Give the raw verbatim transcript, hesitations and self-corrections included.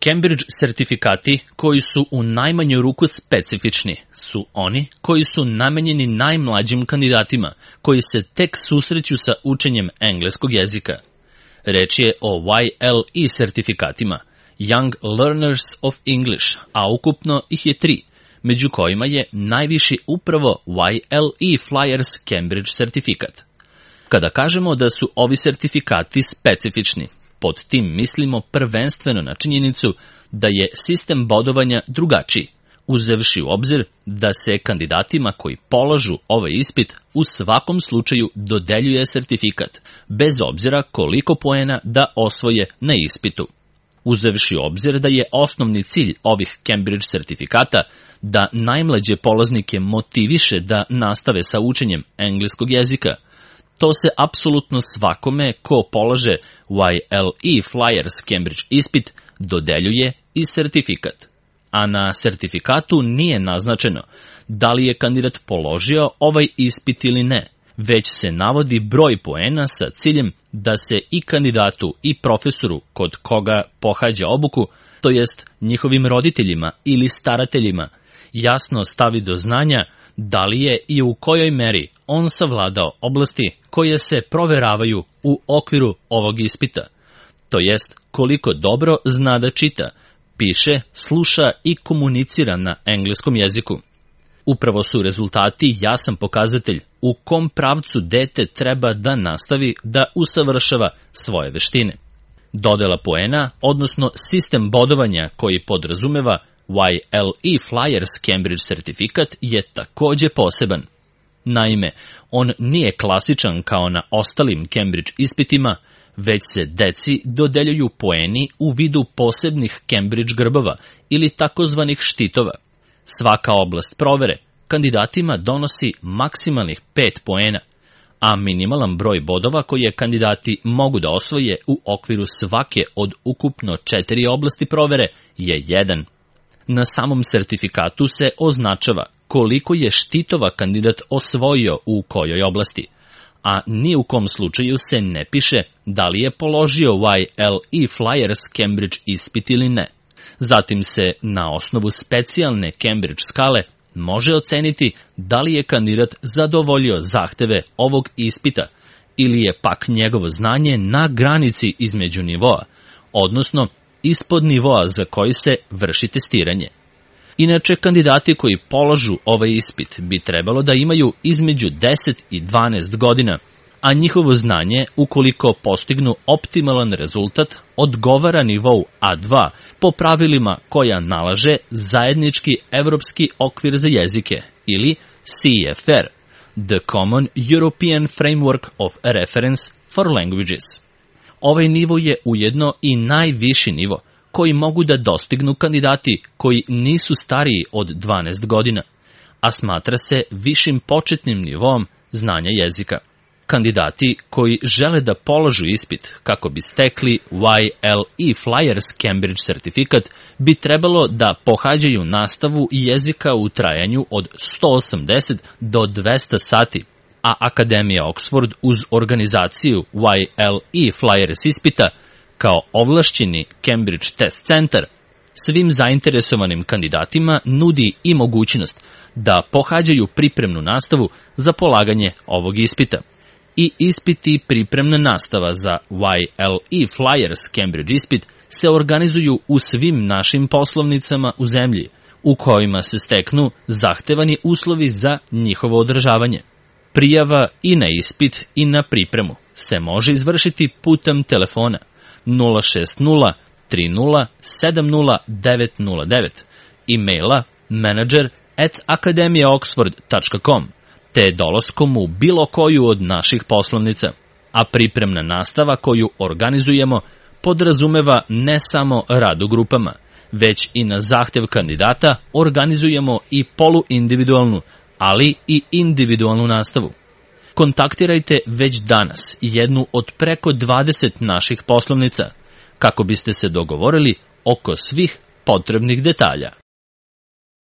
Cambridge sertifikati koji su u najmanju ruku specifični su oni koji su namenjeni najmlađim kandidatima koji se tek susreću sa učenjem engleskog jezika. Reč je o Y L E sertifikatima, Young Learners of English, a ukupno ih je tri, među kojima je najviši upravo Y L E Flyers Cambridge sertifikat. Kada kažemo da su ovi sertifikati specifični, pod tim mislimo prvenstveno na činjenicu da je sistem bodovanja drugačiji, uzevši u obzir da se kandidatima koji polažu ovaj ispit u svakom slučaju dodeljuje sertifikat, bez obzira koliko poena da osvoje na ispitu. Uzevši u obzir da je osnovni cilj ovih Cambridge sertifikata da najmlađe polaznike motiviše da nastave sa učenjem engleskog jezika, to se apsolutno svakome ko polaže Y L E Flyers Cambridge ispit dodeljuje i sertifikat. A na sertifikatu nije naznačeno da li je kandidat položio ovaj ispit ili ne, već se navodi broj poena sa ciljem da se i kandidatu i profesoru kod koga pohađa obuku, to jest njihovim roditeljima ili starateljima, jasno stavi do znanja da li je i u kojoj meri on savladao oblasti koje se proveravaju u okviru ovog ispita, to jest koliko dobro zna da čita, piše, sluša i komunicira na engleskom jeziku. Upravo su rezultati jasan pokazatelj u kom pravcu dete treba da nastavi da usavršava svoje veštine. Dodela poena, odnosno sistem bodovanja koji podrazumeva Y L E Flyers Cambridge sertifikat je takođe poseban. Naime, on nije klasičan kao na ostalim Cambridge ispitima, već se deci dodeljuju poeni u vidu posebnih Cambridge grbova ili takozvanih štitova. Svaka oblast provere kandidatima donosi maksimalnih pet poena, a minimalan broj bodova koje kandidati mogu da osvoje u okviru svake od ukupno četiri oblasti provere je jedan. Na samom sertifikatu se označava koliko je štitova kandidat osvojio u kojoj oblasti, a ni u kom slučaju se ne piše da li je položio Y L E Flyers Cambridge ispit ili ne. Zatim se na osnovu specijalne Cambridge skale može oceniti da li je kandidat zadovoljio zahteve ovog ispita ili je pak njegovo znanje na granici između nivoa, odnosno ispod nivoa za koji se vrši testiranje. Inače, kandidati koji polažu ovaj ispit bi trebalo da imaju između deset i dvanaest godina, a njihovo znanje, ukoliko postignu optimalan rezultat, odgovara nivou A dva po pravilima koja nalaže zajednički evropski okvir za jezike ili C F R, The Common European Framework of Reference for Languages. Ovaj nivo je ujedno i najviši nivo koji mogu da dostignu kandidati koji nisu stariji od dvanaest godina, a smatra se višim početnim nivom znanja jezika. Kandidati koji žele da položu ispit kako bi stekli Y L E Flyers Cambridge sertifikat bi trebalo da pohađaju nastavu jezika u trajanju od sto osamdeset do dvesta sati, a Akademija Oxford uz organizaciju Y L E Flyers ispita kao ovlašćeni Cambridge Test Centar svim zainteresovanim kandidatima nudi i mogućnost da pohađaju pripremnu nastavu za polaganje ovog ispita. I ispiti i pripremna nastava za Y L E Flyers Cambridge ispit se organizuju u svim našim poslovnicama u zemlji, u kojima se steknu zahtevani uslovi za njihovo održavanje. Prijava i na ispit i na pripremu se može izvršiti putem telefona nula šest nula tri nula sedam nula devet nula devet, e-maila manager at akademija oxford tačka com, te dolaskom u bilo koju od naših poslovnica, a pripremna nastava koju organizujemo podrazumeva ne samo rad u grupama, već i na zahtev kandidata organizujemo i poluindividualnu, ali i individualnu nastavu. Kontaktirajte već danas jednu od preko dvadeset naših poslovnica kako biste se dogovorili oko svih potrebnih detalja.